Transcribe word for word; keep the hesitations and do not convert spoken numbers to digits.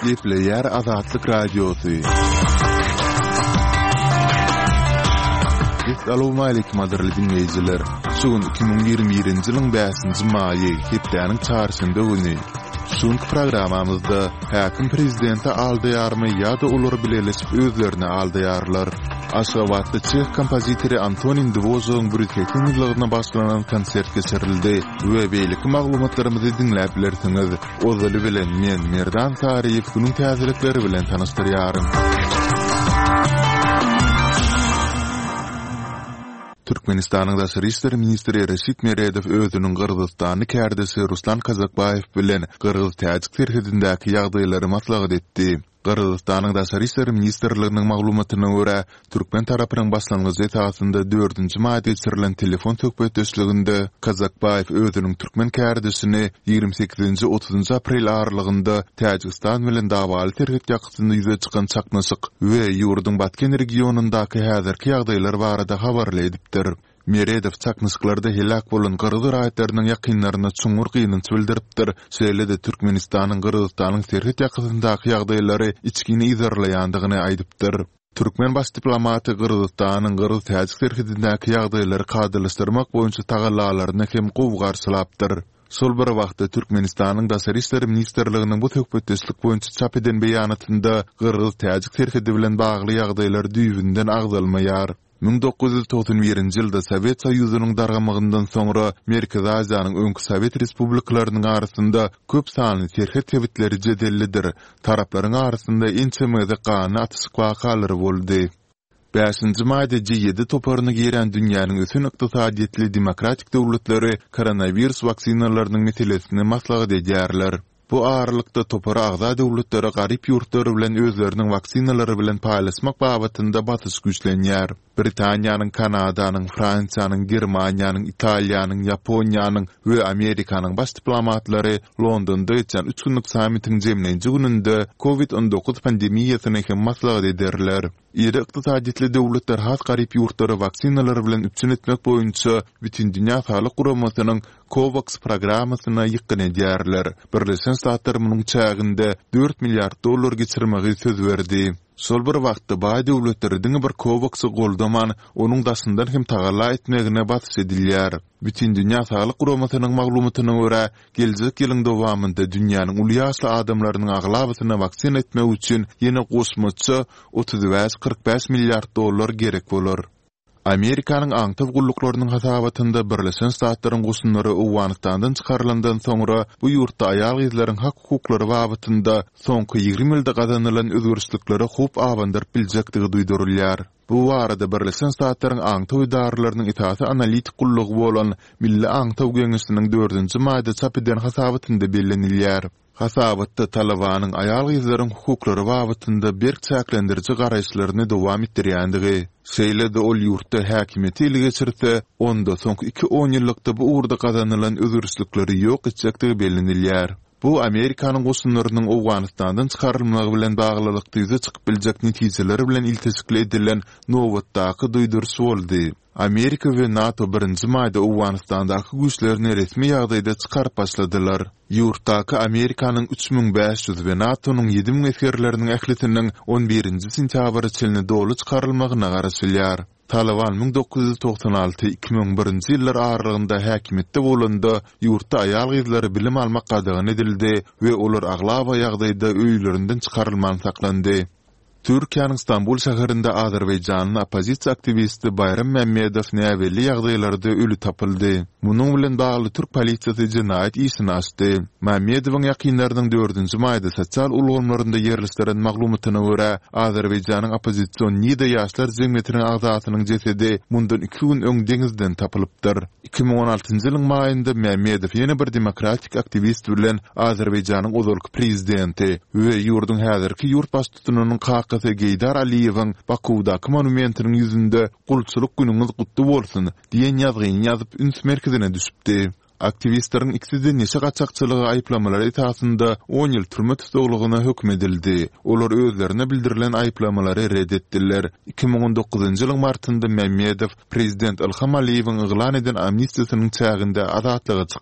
Gepleýär Azatlyk Radiosy. Essalawmaleýkim gadyrly diňleýjiler! Şu gün iki müň ýigrimi birinji ýylyň bäşinji maýy, hepdäniň çarşenbe güni. Şu günki programmamyzda häkim prezidenti aldaýarmy ýa-da olar bileleşip özlerini aldaýarlar? Aşgabatda çeh kompozitory Antonin Dwožagyň bir ýüz segsen ýyllygyna bagyşlanan konsert geçirildi we beýleki maglumatlarymyzy diňläp bilersiňiz. Ozaly bilen men, Merdan Saryýew günüň täzelikleri bilen tanyşdyrýaryn. Türkmenistanyň Daşary işler ministri Reşit Meredow özüniň gyrgyzystanly kärdeşi Ruslan Kazakbaýew bilen gyrgyz-täjik serhedindäki ýagdaýlary maslahat etdi. Gyrgyzystanyň Daşary işler ministrliginiň maglumatyna görä, türkmen tarapynyň başlangyjy esasynda dördünji maýda geçirilen telefon söhbetdeşliginde Kazakbaýew özüniň türkmen kärdeşini ýigrimi sekizinji, otuzynjy aprel aralygynda Täjigistan bilen dawaly serhet ýakasynda ýüze çykan çaknyşyk we ýurduň Batken regionyndaky häzirki ýagdaýlar barada habarly edipdir. Meredow çaknyşyklarda heläk bolan gyrgyz raýatlarynyň ýakynlaryna çuňňur gynanç bildiripdir, şeýle-de Türkmenistanyň Gyrgyzystanyň serhet ýakasyndaky ýagdaýlary içgin yzarlaýandygyny aýdypdyr. Türkmen baş diplomaty Gyrgyzystanyň gyrgyz-täjik serhedindäki ýagdaýlary kadalaşdyrmak boýunça tagallalaryny hem gowy garşylapdyr. Şol bir wagtda, Türkmenistanyň Daşary işler ministrliginiň bu söhbetdeşlik boýunça çap eden beýanatynda gyrgyz-täjik serhedi bilen bagly ýagdaýlar düýbünden agzalmaýar. Müň dokuz ýüz togsan birinji ýylda Sowet Soýuzynyň dargamagyndan soňra Merkezi Aziýanyň öňki sowet respublikalarynyň arasynda köp sanly serhet sebitleri jedellidir, taraplaryň arasynda ençeme gezek ganly atyşyk wakalary boldy. Bäşinji maýda G ýedi toparyna girýän dünýäniň ösen ykdysadyýetli demokratik döwletleri koronawirus waksinalarynyň meselesini maslahat edýärler. Bu aralykda, topara agza döwletlere garyp ýurtlar bilen özleriniň waksinalary bilen paýlaşmak babatynda basyş güýçlenýär. Britaniýanyň, Kanadanyň, Fransiýanyň, Germaniýanyň, Italiýanyň, Ýaponiýanyň we Amerikanyň baş diplomatlary Londonda geçýän üç günlük sammitiň jemleýji gününde Covid on dokuz pandemiýasyny hem maslahat ederler. Iri ykdysadyýetli döwletler has garyp ýurtlary waksinalar bilen üpjün etmek boýunça Bütindünýä Saglyk Guramasynyň COVAX programmasyna ýykgyn edýärler. Birleşen Ştatlar munuň çäginde dört milliard dollar geçirmegi söz berdi. Şol bir wagtda, baý döwletleri diňe bir COVAX-y goldaman, onuň daşyndan hem tagalla etmegine basyş edilýär. Bütindünýä Saglyk Guramasynyň maglumatyna görä, geljek ýylyň dowamynda dünýäniň uly ýaşly adamlarynyň aglabasyna waksina etmek üçin ýene goşmaça otuz bäş, kyrk bäş milliard dollar gerek bolar. Amerikanyň aňtaw gulluklarynyň hasabatynda Birleşen Ştatlaryň goşunlary Owganystandan çykarylandan soňra bu ýurtda aýal-gyzlaryň hak-hukuklary babatynda soňky ýigrimi ýylda gazanylan özgerişliklere howp abandyryp biljekdigi duýdurylýar. Bu barada Birleşen Ştatlaryň aňtaw edaralarynyň esasy analitik gullugy bolan Milli aňtaw geňeşiniň dördünji maýda çap eden hasabatynda bellenilýär. Hasabatda Talybanyň aýal-gyzlaryň hukuklary babatynda berk çäklendiriji garaýyşlaryny dowam etdirýändigi, şeýle-de ol ýurtda häkimiýeti ele geçirse, onda soňky iki onýyllykda bu ugurda gazanylan özgerişlikleri ýok etjekdigi bellenilýär. Bu Amerikanyň goşunlarynyň Owganystandan çykarylmagy bilen baglylykda ýüze çykyp biljek netijeler bilen ilteşikli edilen nobatdaky duýduryş boldy. Amerika we NATO birinji maýda Owganystandaky güýçlerini resmi ýagdaýda çykaryp başladylar. Ýurtdaky Amerikanyň üç müň bäş ýüz we NATO-nyň ýedi müň esgerleriniň ählisiniň on birinji sentýabra çenli doly çykarylmagyna garaşylýar. Talyban müň dokuz ýüz togsan alty, iki müň birinji ýyllar aralygynda häkimiýetde bolanda, ýurtda aýal-gyzlara bilim almak gadagan edildi we olar aglaba ýagdaýda öýlerinden çykarylman saklandy. Türkiýäniň Stambul şäherinde azerbaýjanly oppozisiýa aktiwisti Baýram Mämmedow näbelli ýagdaýlarda öli tapyldy. Munuň bilen bagly türk polisiýasy jenaýat işini açdy. Mämmedowyň ýakynlarynyň dördünji maýda sosial ulgamlarynda ýerleşdiren maglumatyna görä, Azerbaýjanyň oppozision Nida ýaşlar jemgyýetiniň agzasynyň jesedi mundan iki gün öň deňizden tapylypdyr. Iki müň on altynjy ýylyň maýynda Mämmedow ýene bir demokratik aktiwist bilen Azerbaýjanyň ozalky prezidenti we ýurduň häzirki ýurt baştutanynyň kakasy Geýdar Aliýewiň Bakuwdaky monumentiniň ýüzünde Gulçulyk günüňiz gutly bolsun! diýen ýazgyny ýazyp üns merkezine düşüpdi. Aktiwistleriň ikisi-de neşe gaçakçylygy aýyplamalary esasynda on ýyl türme tussaglygyna höküm edildi. Olar özlerine bildirilen aýyplamalary ret etdiler. Iki müň on dokuzynjy ýylyň martynda Mämmedow prezident Ilham Aliýewiň yglan eden amnistiýasynyň çäginde azatlyga çykdy.